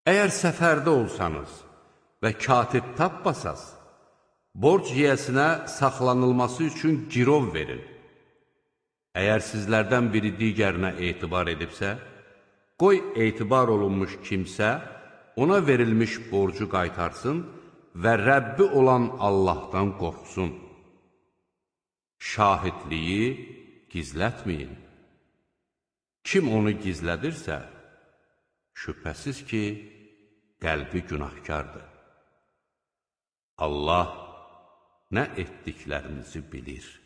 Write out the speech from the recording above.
Əgər səfərdə olsanız və katib tapmasaz, borc yiyəsinə saxlanılması üçün girov verin. Əgər sizlərdən biri digərinə etibar edibsə, qoy etibar olunmuş kimsə ona verilmiş borcu qaytarsın və Rəbbi olan Allahdan qorxsun. Şahidliyi gizlətməyin. Kim onu gizlədirsə, şübhəsiz ki, qəlbi günahkardır. Allah nə etdiklərinizi bilir.